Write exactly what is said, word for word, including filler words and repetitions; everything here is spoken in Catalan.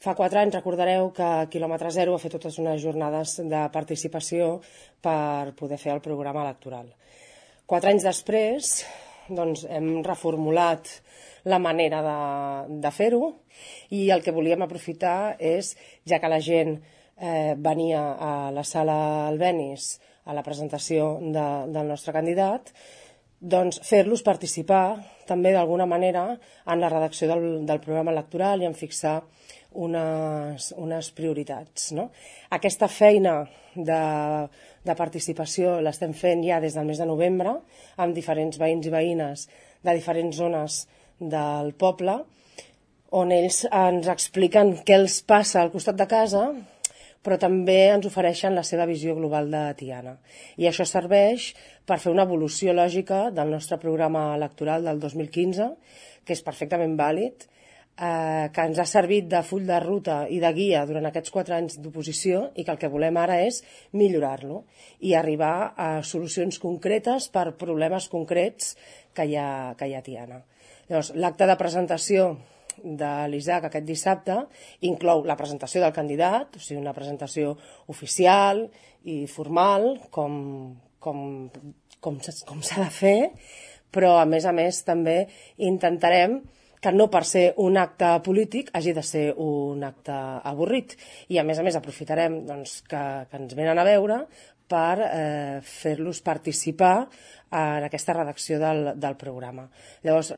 Fa quatre anys recordareu que Quilòmetre Zero ha fet totes unes jornades de participació per poder fer el programa electoral. Quatre anys després doncs, hem reformulat la manera de, de fer-ho i el que volíem aprofitar és, ja que la gent eh, venia a la sala Albéniz a la presentació de, del nostre candidat, doncs fer-los participar també d'alguna manera en la redacció del, del programa electoral i en fixar unes, unes prioritats. No? Aquesta feina de, de participació l'estem fent ja des del mes de novembre amb diferents veïns i veïnes de diferents zones del poble, on ells ens expliquen què els passa al costat de casa, però també ens ofereixen la seva visió global de Tiana. I això serveix per fer una evolució lògica del nostre programa electoral del dos mil quinze, que és perfectament vàlid, eh, que ens ha servit de full de ruta i de guia durant aquests quatre anys d'oposició i que el que volem ara és millorar-lo i arribar a solucions concretes per problemes concrets que hi ha, que hi ha a Tiana. Llavors, l'acte de presentació de l'Isaac aquest dissabte inclou la presentació del candidat, o sigui, una presentació oficial i formal, com, com, com, com s'ha de fer, però a més a més també intentarem que no per ser un acte polític hagi de ser un acte avorrit. I a més a més aprofitarem doncs, que, que ens venen a veure per eh, fer-los participar en aquesta redacció del, del programa. Llavors,